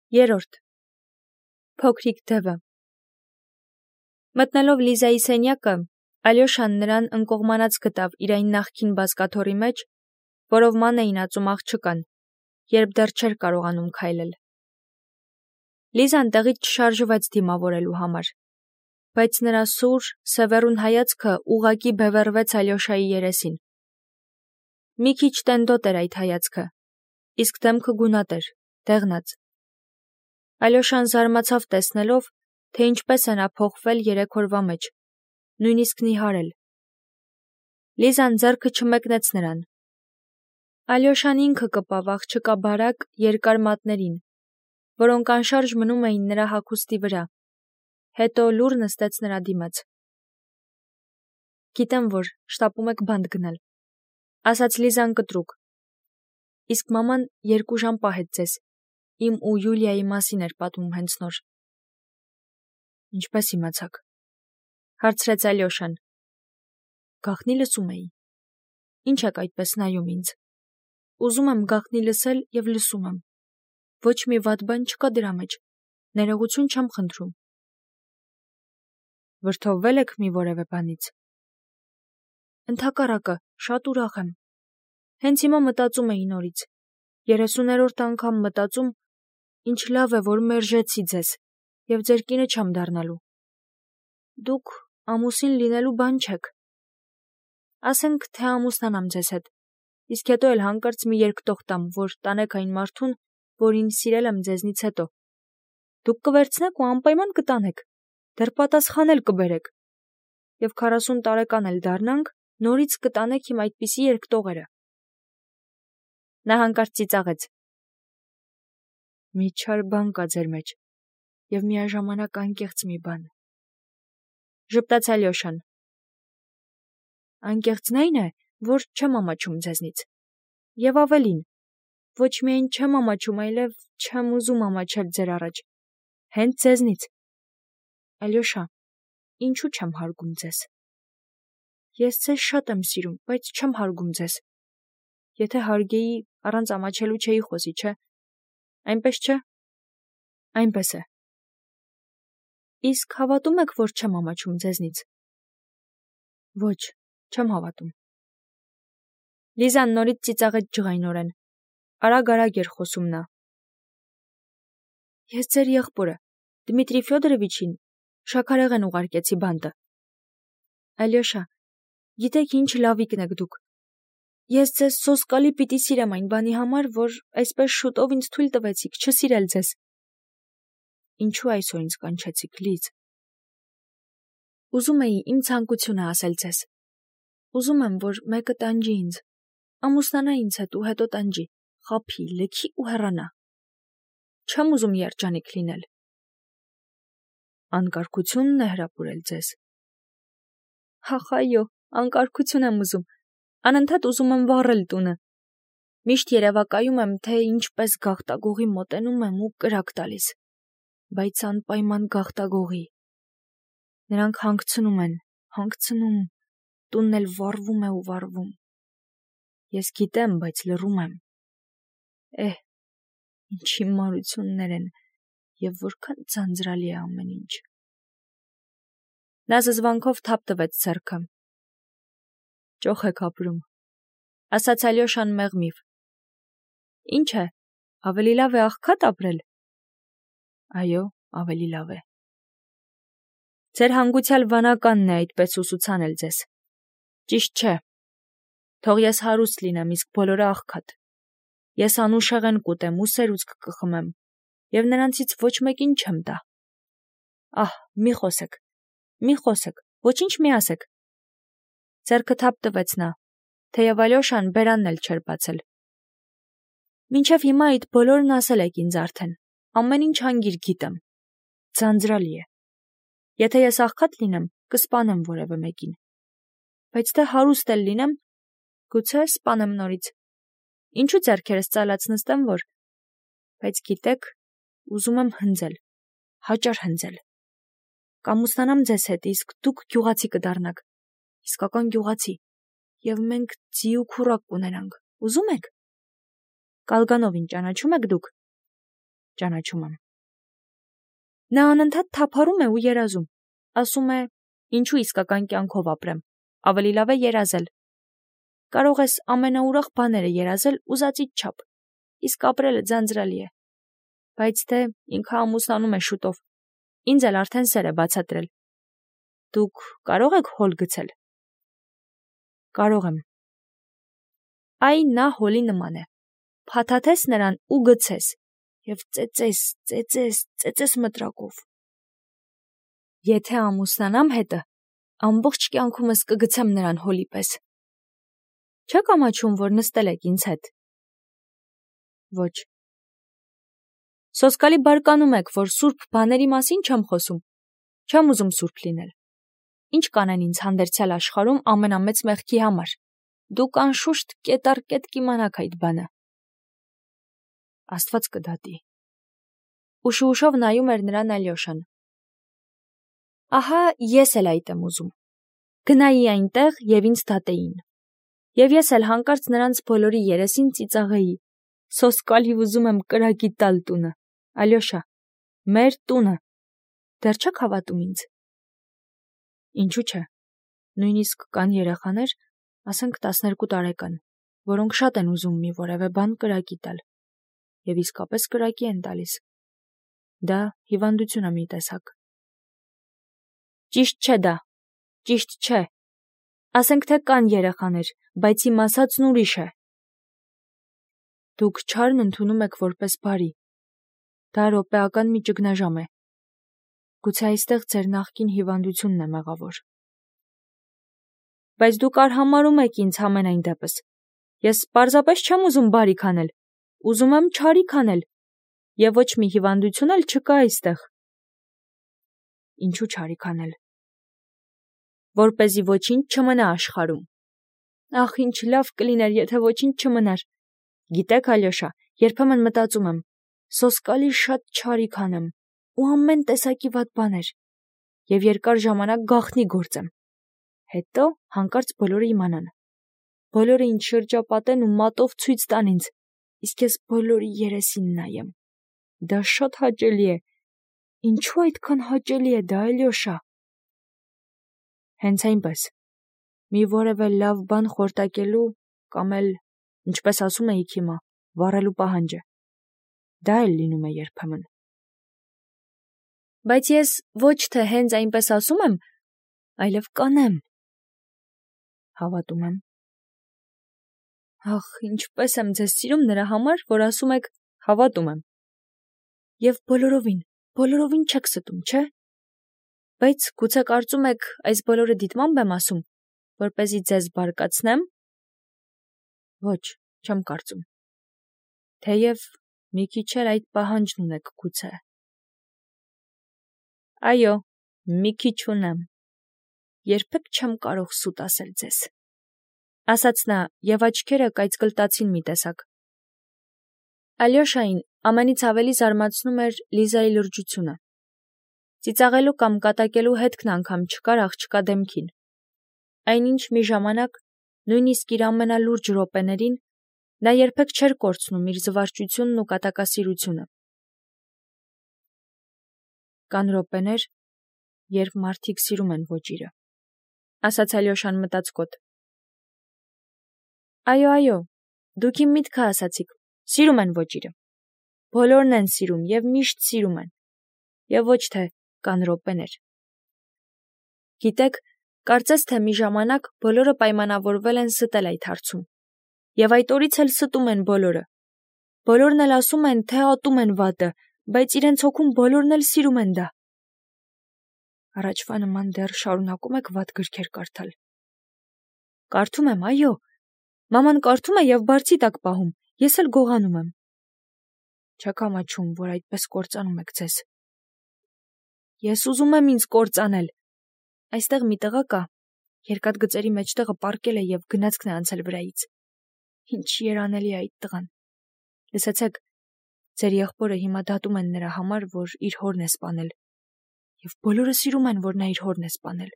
Երրորդ Փոքրիկ դևը Մտնելով Լիզայի սենյակը, Ալյոշան նրան ընկողմանած գտավ իր այն նախկին բազկաթոռի մեջ, որով ման էին ածում աղջկան, երբ դեռ չէր կարողանում քայլել։ Լիզան տեղից չշարժվեց դիմավորելու համար, բայց նրա սուր, սևեռուն հայացքը ուղղակի բևեռվեց Ալյոշայի երեսին։ Մի քիչ տենդոտ էր այդ հայացքը, իսկ դեմքը գունատ էր, դեղնած։ Ալյոշան զարմացավ տեսնելով, թե ինչպես է նա փոխվել 3 օրվա մեջ, նույնիսկ նիհարել։ Լիզան ձեռքը չմեկնեց նրան։ Ալյոշան ինքը կպավ աղջկա բարակ, երկար մատներին, որոնք անշարժ մնում էին նրա հագուստի վրա, հետո լուռ նստեց նրա դիմաց։ Գիտեմ, որ շտապում եք բանտ գնել, ասաց Լիզան կտրուկ։ Իսկ մաման 2 ժամ պահեց ձեզ, իմ ու Յուլիայի մասին էր պատմում հենց նոր։ Ինչպես իմացաք, հարցրեց Ալյոշան։ Գաղտնի լսում էի։ Ինչ եք այդպես նայում ինձ։ Ուզում եմ գաղտնի լսել և լսում եմ։ Ոչ մի վատ բան չկա դրա մեջ, ներողություն չեմ խնդրում։ Վրդովվել եք մի որևէ բանից։ Ընդհակառակը, շատ ուրախ եմ։ Հենց հիմա մտածում էի նորից, 30-րդ անգամ մտածում, ինչ լավ է, որ մերժեցի ձեզ, և ձեր կինը չեմ դառնալու։ Դուք ամուսին լինելու բան չեք։ Ասենք, թե ամուսնանամ ձեզ հետ, իսկ հետո էլ հանկարծ մի երկտող տամ, որ տանեք այն մարդուն, որին սիրել եմ ձեզնից հետո։ Դուք կվերցնեք ու անպայման կտանեք, դեռ պատասխան էլ կբերեք։ Եվ 40 տարեկան էլ դառնանք, նորից կտանեք իմ այդպիսի երկտողերը։ Նա հանկարծ ծիծաղեց։ Մի չար բան կա ձեր մեջ, և միաժամանակ անկեղծ մի բան։ Ժպտաց Ալյոշան։ Անկեղծն այն է, որ չեմ ամաչում ձեզնից։ Եվ ավելին, ոչ միայն չեմ ամաչում, այլև չեմ ուզում ամաչել ձեր առաջ, հենց ձեզնից։ Ալյոշա, ինչու չեմ հարգում ձեզ։ Ես ձեզ շատ եմ սիրում, բայց չեմ հարգում ձեզ։ Եթե հարգեի, առանց ամաչելու չէի խոսի, չէ։ Այնպես չէ։ Այնպես է։ Իսկ հավատում եք, որ չեմ ամաչում ձեզնից։ Ոչ, չեմ հավատում։ Լիզան նորից ծիծաղեց ջղայնորեն։ Արագ-արագ էր խոսում նա։ Ես ձեր եղբորը, Դմիտրի Ֆյոդորովիչին, շաքարեղեն ուղարկեցի բանտը։ Ալյոշա, գիտեք ինչ լավիկն եք դուք։ Ես ձեզ սոսկալի պիտի սիրեմ այն բանի համար, որ այսպես շուտով ինձ թույլ տվեցիք չսիրել ձեզ։ Ինչու այսօր ինձ կանչեցիք, Լիզ։ Ուզում էի իմ ցանկությունը ասել ձեզ։ Ուզում եմ, որ մեկը տանջի ինձ, ամուսնանա ինձ հետ ու հետո տանջի, խաբի, լքի ու հեռանա։ Չեմ ուզում երջանիկ լինել։ Անկարգությունն է հրապուրել ձեզ։ Ախ, այո, անկարգություն եմ ուզում, անընդհատ ուզում եմ վառել տունը։ Միշտ երևակայում եմ, թե ինչպես գաղտագողի մոտենում եմ ու կրակ տալիս, բայց անպայման գաղտագողի։ Նրանք հանգցնում են, հանգցնում, տունն էլ վառվում է ու վառվում։ Ես գիտեմ, բայց լռում եմ։ Ինչ հիմարություններ են, և որքան ձանձրալի է ամեն ինչ։ Նա զզվանքով թափ տվեց ձեռքը։ Ճոխ եք ապրում, ասաց Ալյոշան մեղմիվ։ Ինչ է, ավելի լավ է աղքատ ապրել։ Այո, ավելի լավ է։ Ձեր հանգուցյալ վանականն է այդպես ուսուցանել ձեզ։ Ճիշտ չէ։ Թող ես հարուստ լինեմ, իսկ բոլորը աղքատ։ Ես անուշեղեն կուտեմ ու սերուցք կխմեմ, և նրանցից ոչ մեկին չեմ տա։ Ահ, մի խոսեք, ոչինչ մի ասեք։ Ձեռքը թափ տվեց նա, թեև Ալյոշան բերանն էլ չէր բացել։ Մինչև հիմա այդ բոլորն ասել եք ինձ արդեն, ամեն ինչ հանգիր գիտեմ։ Ձանձրալի է։ Եթե ես աղքատ լինեմ, կսպանեմ որևէ մեկին։ Բայց թե հարուստ էլ լինեմ, գուցե սպանեմ նորից։ Ինչու ձեռքերս ծալած նստեմ, որ։ Բայց գիտեք, ուզում եմ հնձել, հաճար հնձել։ Կամուսնանամ ձեզ հետ, իսկ դուք գյուղացի կդառնաք, իսկական գյուղացի, և մենք ձի ու քուռակ կունենանք, ուզում եք։ Կալգանովին ճանաչում եք դուք։ ճանաչում եմ։ Նա անընդհատ թափառում է ու երազում, ասում է, ինչու իսկական կյանքով ապրեմ, ավելի լավ է երազել։ Կարող ես ամենաուրախ բաները երազել ուզածիդ չափ, իսկ ապրելը ձանձրալի է։ Բայց թե ինքը ամուսնանում է շուտով, ինձ էլ արդեն սեր է բացատրել։ Դուք կարող եք հոլ գցել։ Կարող եմ։ Այ նա հոլի նման է։ Փաթաթես նրան ու գցես, և ծեծես մտրակով։ Եթե ամուսնանամ հետը, ամբողջ կյանքումս կգցեմ նրան հոլի պես։ Չեք ամաչում, որ նստել եք ինձ հետ։ Ոչ։ Սոսկալի բարկանում եք, որ սուրբ բաների մասին չեմ խոսում։ Չեմ ուզում սուրբ լինել։ Ինչ կանեն ինձ հանդերձյալ աշխարհում ամենամեծ մեղքի համար։ Դուք անշուշտ կետառ-կետ կիմանաք այդ բանը։ Աստված կդատի։ Ուշ-ուշով նայում էր նրան Ալյոշան։ Ահա ես էլ այդ եմ ուզում։ Գնայի այնտեղ և ինձ դատեին։ Եվ ես էլ հանկարծ նրանց բոլորի երեսին ծիծաղեի։ Սոսկալի ուզում եմ կրակի տալ տունը։ Ալյոշա, մեր տունը։ Դեռ չեք հավատում ինձ։ Ինչու՞ չէ։ Նույնիսկ կան երեխաներ, ասենք 12 տարեկան, որոնք շատ են ուզում մի որևէ բան կրակի տալ։ Եվ իսկապես կրակի են տալիս։ Դա հիվանդություն է մի տեսակ։ Ճիշտ չէ դա։ Ճիշտ չէ։ Ասենք թե կան երեխաներ, բայց իմ ասածն ուրիշ է։ Դուք չարն ընդունում եք որպես բարի։ Դա րոպեական մի ճգնաժամ է։ Գուցե այստեղ ձեր նախկին հիվանդությունն է մեղավոր։ Բայց դուք արհամարհում եք ինձ համենայն դեպս։ Ես պարզապես չեմ ուզում բարիք անել, ուզում եմ չարիք անել, և ոչ մի հիվանդություն էլ չկա այստեղ։ Ինչու չարիք անել։ Որպեսզի ոչինչ չմնա աշխարհում։ Ախ, ինչ լավ կլիներ, եթե ոչինչ չմնար։ Գիտեք, Ալյոշա, երբեմն մտածում եմ, սոսկալի շատ չարիք անեմ ու ամեն տեսակի վատ բաներ, և երկար ժամանակ գաղտնի գործեմ։ Հետո հանկարծ բոլորը իմանան։ Բոլորը ինձ շրջապատեն ու մատով ցույց տան ինձ, իսկ ես բոլորի երեսին նայեմ։ Դա շատ հաճելի է։ Ինչու այդքան հաճելի է դա, Ալյոշա։ Հենց այնպես։ Մի որևէ լավ բան խորտակելու կամ էլ, ինչպես ասում էիք հիմա, վառելու պահանջը։ Դա էլ լինում է երբեմն։ Բայց ես ոչ թե հենց այնպես ասում եմ, այլև կանեմ։ Հավատում եմ։ Ախ, ինչպես եմ ձեզ սիրում նրա համար, որ ասում եք հավատում եմ։ Եվ բոլորովին չեք ստում, չէ՞։ Բայց գուցե կարծում եք այս բոլորը դիտմամբ եմ ասում, որպեսզի ձեզ բարկացնեմ։ Ոչ, չեմ կարծում։ Թեև մի քիչ էլ այդ պահանջն ունեք գուցե։ Այո, մի քիչ ունեմ։ Երբեք չեմ կարող սուտ ասել ձեզ։ Ասաց նա, և աչքերը կայծկլտացին մի տեսակ։ Ալյոշային ամենից ավելի զարմացնում էր Լիզայի լրջությունը։ Ծիծաղելու կամ կատակելու հետքն անգամ չկար աղջկա դեմքին։ Այնինչ մի ժամանակ, նույնիսկ իր ամենալուրջ րոպեներին, նա երբեք չէր կորցնում իր զվարճությունն ու կատակասիրությունը։ Կան րոպեներ, երբ մարդիկ սիրում են ոճիրը, ասաց Ալյոշան մտածկոտ։ Այո, դուք իմ միտքը ասացիք, սիրում են ոճիրը։ Բոլորն են սիրում և միշտ սիրում են, և ոչ թե կան րոպեներ։ Գիտեք, կարծես թե մի ժամանակ բոլորը պայմանավորվել են ստել այդ հարցում, և այդ օրից էլ ստում են բոլորը։ Բոլորն էլ ասում են, թե ատում են վատը, բայց իրենց հոգում բոլորն էլ սիրում են դա։ Առաջվա նման դեռ շարունակում եք վատ գրքեր կարդալ։ Կարդում եմ, այո։ Մաման կարդում է և բարձի տակ պահում, ես էլ գողանում եմ։ Չեք ամաչում, որ այդպես կործանում եք ձեզ։ Ես ուզում եմ ինձ կործանել։ Այստեղ մի տղա կա, երկաթգծերի մեջտեղը պառկել է և գնացքն է անցել վրայից։ Ինչ երանելի է այդ տղան։ Լսեցեք, ձեր եղբորը հիմա դատում են նրա համար, որ իր հորն է սպանել, և բոլորը սիրում են, որ նա իր հորն է սպանել։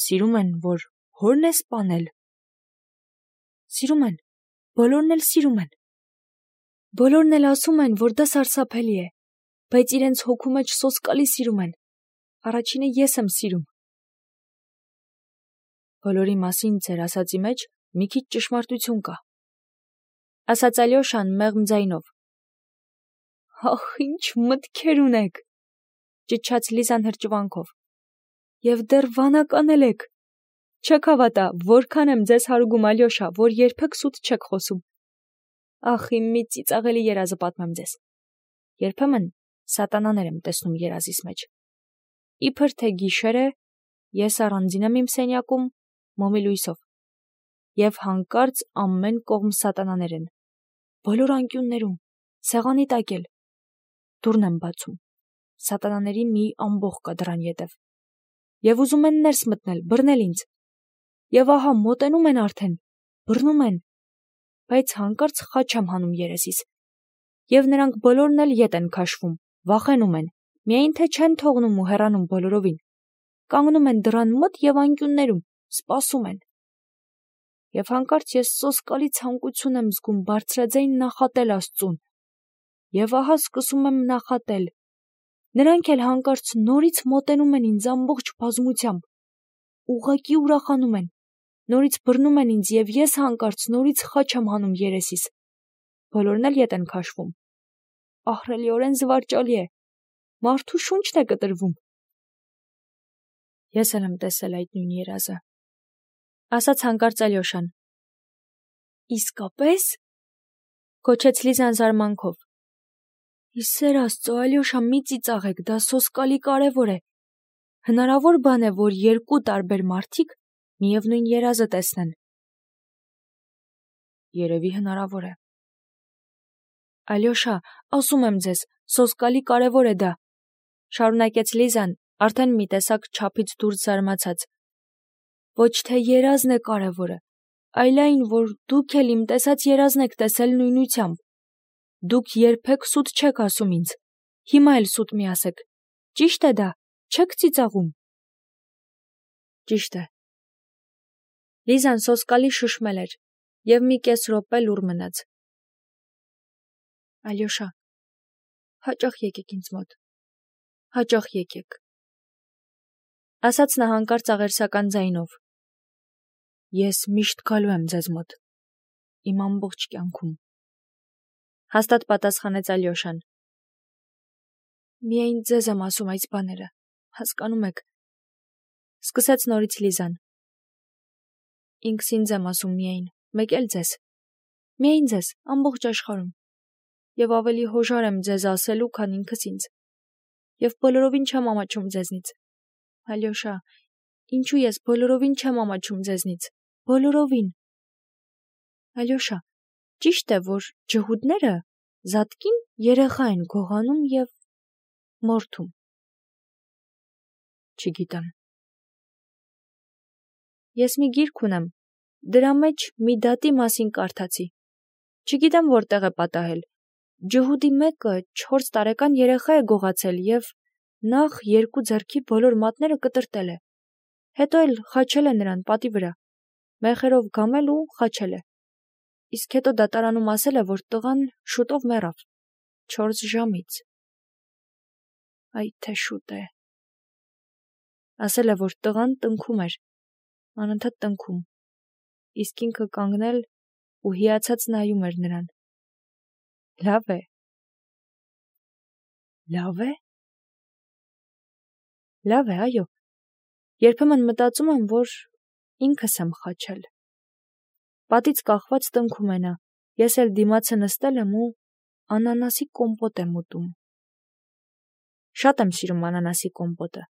Սիրում են, որ հորն է սպանել։ Սիրում են, բոլորն էլ սիրում են։ Բոլորն էլ ասում են, որ դա սարսափելի է, բայց իրենց հոգու մեջ սոսկալի սիրում են։ Առաջինը ես եմ սիրում։ Բոլորի մասին ձեր ասածի մեջ մի քիչ ճշմարտություն կա, ասաց Ալյոշան մեղմ ձայնով։ Ախ, ինչ մտքեր ունեք, ճչաց Լիզան հրճվանքով։ Եվ դեռ վանական եք։ Չեք հավատա, որքան եմ ձեզ հարուգում, Ալյոշա, որ երբեք սուտ չեք խոսում։ Ախ, իմ մի ծիծաղելի երազը պատմեմ ձեզ։ Երբեմն սատանաներ եմ տեսնում երազիս մեջ։ Իբր թե գիշեր է, ես առանձին եմ իմ սենյակում, մոմի լույսով, և հանկարծ ամեն կողմ սատանաներ են, բոլոր անկյուններում, սեղանի տակ էլ։ Դուռն եմ բացում, սատանաների մի ամբոխ կա դռան ետև, և ուզում են ներս մտնել, բռնել ինձ, և ահա մոտենում են արդեն, բռնում են, բայց հանկարծ խաչ եմ հանում երեսիս, և նրանք բոլորն էլ ետ են քաշվում, վախենում են, միայն թե չեն թողնում ու հեռանում բոլորովին, կանգնում են դռան մոտ և անկյուններում, սպասում են։ Եվ հանկարծ ես սոսկալի ցանկություն եմ զգում բարձրաձայն նախատել Աստծուն, և ահա սկսում եմ նախատել։ Նրանք էլ հանկարծ նորից մոտենում են ինձ ամբողջ բազմությամբ, ուղղակի ուրախանում են, նորից բռնում են ինձ և ես հանկարծ նորից խաչ եմ հանում երեսիս, բոլորն էլ ետ են քաշվում։ Ահռելիորեն զվարճալի է, մարդու շունչն է կտրվում։ Ես էլ եմ տեսել այդ նույն երազը, ասաց հանկարծ Ալյոշան։ Իսկապես, գոչեց Լիզան զարմանքով։ Ի սեր Աստծո, Ալյոշա, մի ծիծաղեք, դա սոսկալի կարևոր է։ Հնարավոր բան է, որ երկու տարբեր մարդիկ միևնույն երազը տեսնեն։ Երևի հնարավոր է։ Ալյոշա, ասում եմ ձեզ, սոսկալի կարևոր է դա, շարունակեց Լիզան, արդեն մի տեսակ չափից դուրս զարմացած։ Ոչ թե երազն է կարևորը, այլ այն, որ դուք էլ իմ տեսած երազն եք տեսել նույնությամբ։ Դուք երբեք սուտ չեք ասում ինձ, հիմա էլ սուտ մի ասեք։ Ճիշտ է դա, չեք ծիծաղում։ Ճիշտ է։ Լիզան սոսկալի շշմել էր, և մի կես րոպե լուռ մնաց։ Ալյոշա, հաճախ եկեք ինձ մոտ, հաճախ եկեք, ասաց նա հանկարծ աղերսական ձայնով։ Ես միշտ գալու եմ ձեզ մոտ, իմ ամբողջ կյանքում, հաստատ պատասխանեց Ալյոշան։ Միայն ձեզ եմ ասում այս բաները, հասկանում եք, սկսեց նորից Լիզան։ Ինքս ինձ եմ ասում միայն, մեկ էլ ձեզ, միայն ձեզ, ամբողջ աշխարհում, և ավելի հոժար եմ ձեզ ասելու, քան ինքս ինձ, և բոլորովին չեմ ամաչում ձեզնից։ Ալյոշա, ինչու ես բոլորովին չեմ ամաչում ձեզնից, բոլորովին։ Ալյոշա, ճիշտ է, որ ջհուդները զատկին երեխա են գողանում և մորթում։ Չգիտեմ։ Ես մի գիրք ունեմ, դրա մեջ մի դատի մասին կարդացի։ Չգիտեմ որտեղ է պատահել։ Ջհուդի մեկը 4 տարեկան երեխա է գողացել և նախ 2 ձեռքի բոլոր մատները կտրտել է, հետո էլ խաչել է նրան պատի վրա, մեխերով գամել ու խաչել է։ Իսկ հետո դատարանում ասել է, որ տղան շուտով մեռավ, 4 ժամից։ Այ թե շուտ է։ Ասել է, որ տղան տնքում էր, անընդհատ տնքում, իսկ ինքը կանգնել ու հիացած նայում էր նրան։ Լավ է։ Լավ է։ Լավ է, այո։ Երբեմն մտածում եմ, որ ինքս եմ խաչել։ Պատից կախված տնքում է նա, ես էլ դիմացը նստել եմ ու անանասի կոմպոտ եմ ուտում։ Շատ եմ սիրում անանասի կոմպոտը։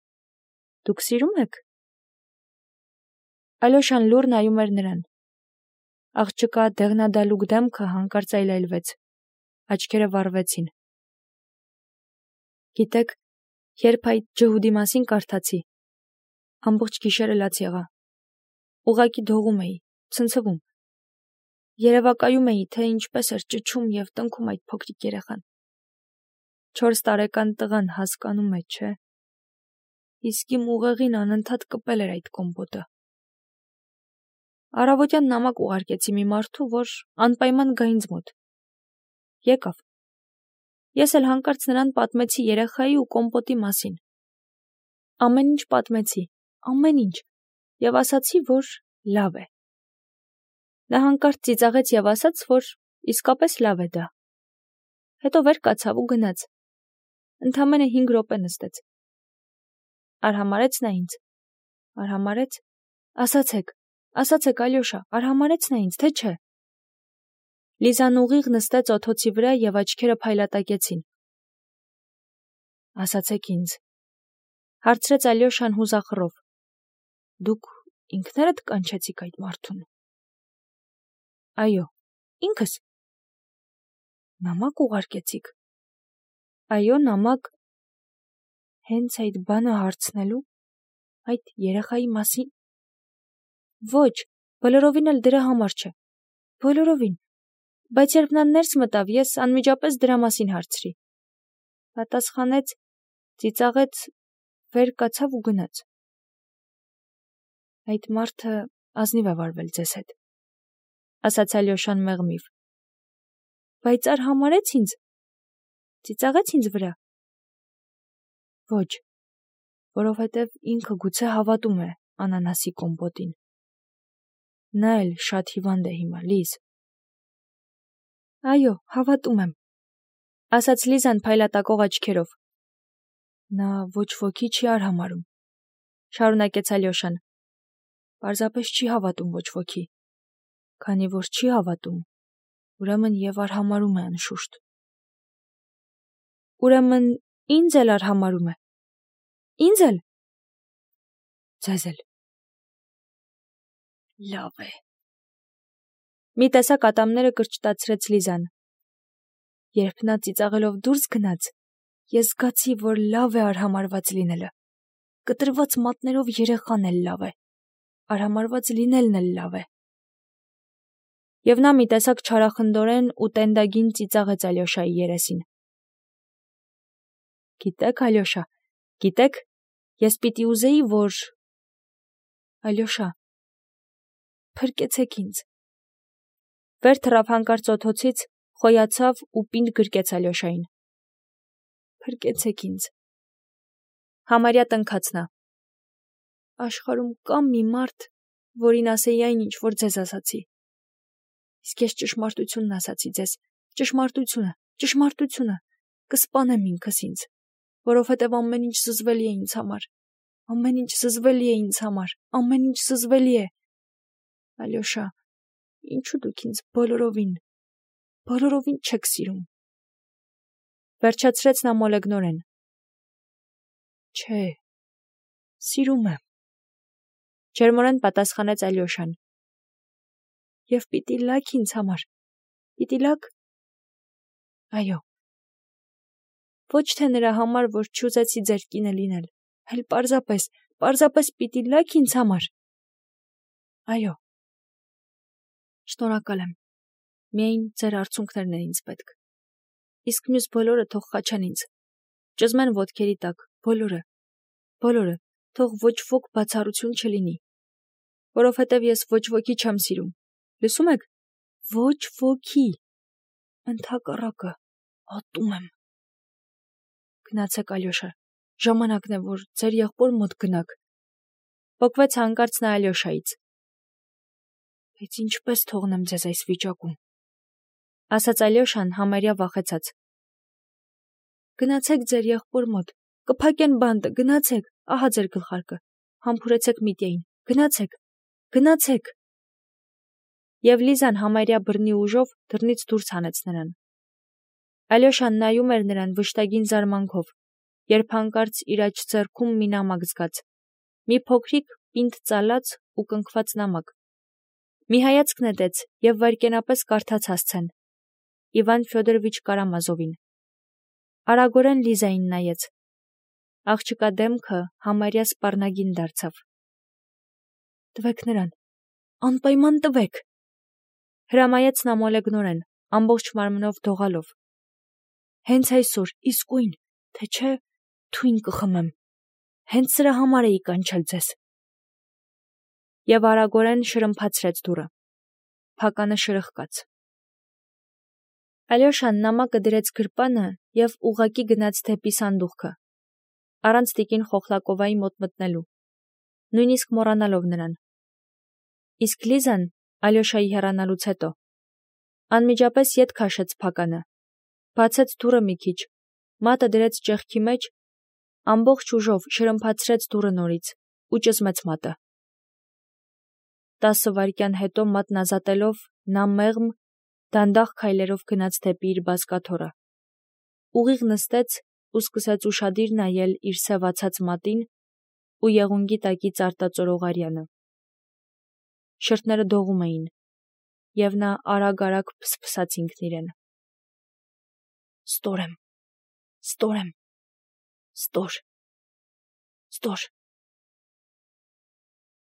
Դուք սիրում եք։ Ալյոշան լուռ նայում էր նրան։ Աղջկա դեղնադալուկ դեմքը հանկարծ այլայլվեց, աչքերը վառվեցին։ Գիտեք, երբ այդ ջհուդի մասին կարդացի, ամբողջ գիշերը լաց եղա։ Ուղղակի դողում էի, ցնցվում։ Երևակայում էի, թե ինչպես էր ճչում և տնքում այդ փոքրիկ երեխան։ 4 տարեկան տղան հասկանում է, չէ։ Իսկ իմ ուղեղին անընդհատ կպել էր այդ կոմպոտը։ Առավոտյան նամակ ուղարկեցի մի մարդու, որ անպայման գա ինձ մոտ։ եկավ։ Ես էլ հանկարծ նրան պատմեցի երեխայի ու կոմպոտի մասին։ Ամեն ինչ պատմեցի, ամեն ինչ, եւ ասացի, որ լավ է։ Նա հանկարծ ծիծաղեց եւ ասաց, որ իսկապես լավ է դա։ Հետո վեր կացավ ու գնաց։ Ընդամենը 5 րոպե նստեց։ Արհամարեց նա ինձ։ Արհամարեց։ Ասացեք, Ալյոշա, արհամարեց նա ինձ, թե չէ։ Լիզան ուղիղ նստեց օթոցի վրա եւ աչքերը փայլատակեցին։ Ասացեք ինձ, հարցրեց Ալյոշան հուզախռով։ Դուք ինքներդ կանչեցիք այդ մարդուն։ Այո, ինքս։ Նամակ ուղարկեցիք։ Այո, նամակ։ Հենց այդ բանը հարցնելու, այդ երեխայի մասին։ Ոչ, բոլորովին էլ դրա համար չէ։ Բոլորովին։ Բայց երբ նա ներս մտավ, ես անմիջապես դրա մասին հարցրի։ Պատասխանեց, ծիծաղեց, վեր կացավ ու գնաց։ Այդ մարդը ազնիվ է վարվել ձեզ հետ, ասաց Ալյոշան մեղմիվ։ Բայց արհամարեց ինձ, ծիծաղեց ինձ վրա։ Ոչ, որովհետև ինքը գուցե հավատում է անանասի կոմպոտին։ Նա էլ շատ հիվանդ է հիմա, Լիզ։ Այո, հավատում եմ, ասաց Լիզան փայլատակող աչքերով։ Նա ոչ ոքի չի արհամարում, շարունակեց Ալյոշան։ Պարզապես չի հավատում ոչ ոքի։ Քանի որ չի հավատում, ուրեմն եւ արհամարում է անշուշտ։ Ուրեմն ինձ էլ արհամարում է։ Ինձ էլ։ Ձեզ էլ։ Լավ է։ Մի տեսակ ատամները կրճտացրեց Լիզան։ Երբ նա ծիծաղելով դուրս գնաց, ես զգացի, որ լավ է արհամարված լինելը։ Կտրված մատներով երեխան էլ լավ է։ Արհամարված լինելն էլ լավ է։ Եվ նա մի տեսակ չարախնդորեն ու տենդագին ծիծաղեց Ալյոշայի երեսին։ Գիտեք, Ալյոշա, գիտեք, ես պիտի ուզեի, որ… Ալյոշա, փրկեցեք ինձ։ Վեր թռավ հանկարծ օթոցից, խոյացավ ու պինդ գրկեց Ալյոշային։ Փրկեցեք ինձ։ Համարյա տնքաց նա։ Աշխարհում կա մի մարդ, որին ասեի այն ինչ, որ ձեզ ասացի։ Իսկ ես ճշմարտությունն ասացի ձեզ, ճշմարտությունը, կսպանեմ ինքս ինձ, որովհետև ամեն ինչ զզվելի է ինձ համար, ամեն ինչ զզվելի է ինձ համար, ամեն ինչ զզվելի է։ Ալյոշա, ինչու դուք ինձ բոլորովին չեք սիրում։ Վերջացրեց նա մոլեգնորեն։ Չէ, սիրում եմ, ջերմորեն պատասխանեց Ալյոշան։ Եվ պիտի լաք ինձ համար, պիտի լաք։ Այո։ Ոչ թե նրա համար, որ չուզեցի ձեր կինը լինել, այլ պարզապես պիտի լաք ինձ համար։ Այո։ Շնորհակալ եմ։ Միայն ձեր արցունքներն են ինձ պետք։ Իսկ մյուս բոլորը թող խաչեն ինձ։ Ճզմեն ոտքերի տակ, բոլորը, թող ոչ ոք բացառություն չլինի։ Որովհետև ես ոչ ոքի չեմ սիրում։ Լսում եք։ Ոչ ոքի։ Ընդհակառակը, ատում եմ։ Գնացեք, Ալյոշա, ժամանակն է, որ ձեր եղբոր մոտ գնաք։ Պոկվեց հանկարծ նա Ալյոշայից։ Բայց ինչպես թողնեմ ձեզ այս վիճակում, ասաց Ալյոշան համարյա վախեցած։ Գնացեք ձեր եղբոր մոտ, կփակեն բանտը, գնացեք, ահա ձեր գլխարկը, համբուրեցեք Միտյային, գնացեք։ Եվ Լիզան համարյա բռնի ուժով դռնից դուրս հանեց նրան։ Ալյոշան նայում էր նրան վշտագին զարմանքով, երբ հանկարծ իր աջ ձեռքում մի նամակ զգաց, մի փոքրիկ պինդ ծալած ու կնքված նամակ։ Մի հայացք նետեց եւ վայրկենապես կարդաց հասցեն. Իվան Ֆյոդորովիչ Կարամազովին։ Արագորեն Լիզային նայեց։ Աղջկա դեմքը համարյա սպառնագին դարձավ։ Տվեք նրան, անպայման տվեք, հրամայեց նա մոլեգնորեն, ամբողջ մարմնով դողալով։ Հենց այսօր, իսկույն, թե չէ, թույն կխմեմ։ Հենց սրա համար էի կանչել ձեզ։ Եվ արագորեն շրմփացրեց դուռը։ Փականը շրխկաց։ Ալյոշան նամակը դրեց գրպանը և ուղղակի գնաց դեպի սանդուղքը, առանց տիկին Խոխլակովայի մոտ մտնելու, նույնիսկ մոռանալով նրան։ Իսկ Լիզան, Ալյոշայի հեռանալուց հետո, անմիջապես ետ քաշեց փականը, բացեց դուռը մի քիչ, մատը դրեց ճեղքի մեջ, ամբողջ ուժով շրմփացրեց դուռը նորից ու ճզմեց մատը։ 10 վայրկյան հետո մատն ազատելով, նա մեղմ, դանդաղ քայլերով գնաց դեպի իր բազկաթոռը, ուղիղ նստեց ու սկսեց ուշադիր նայել իր սևացած մատին ու եղունգի տակից արտածորող արյանը։ Շրթները դողում էին, և նա արագ-արագ փսփսաց ինքն իրեն. «Ստոր եմ, ստոր եմ, ստոր, ստոր»։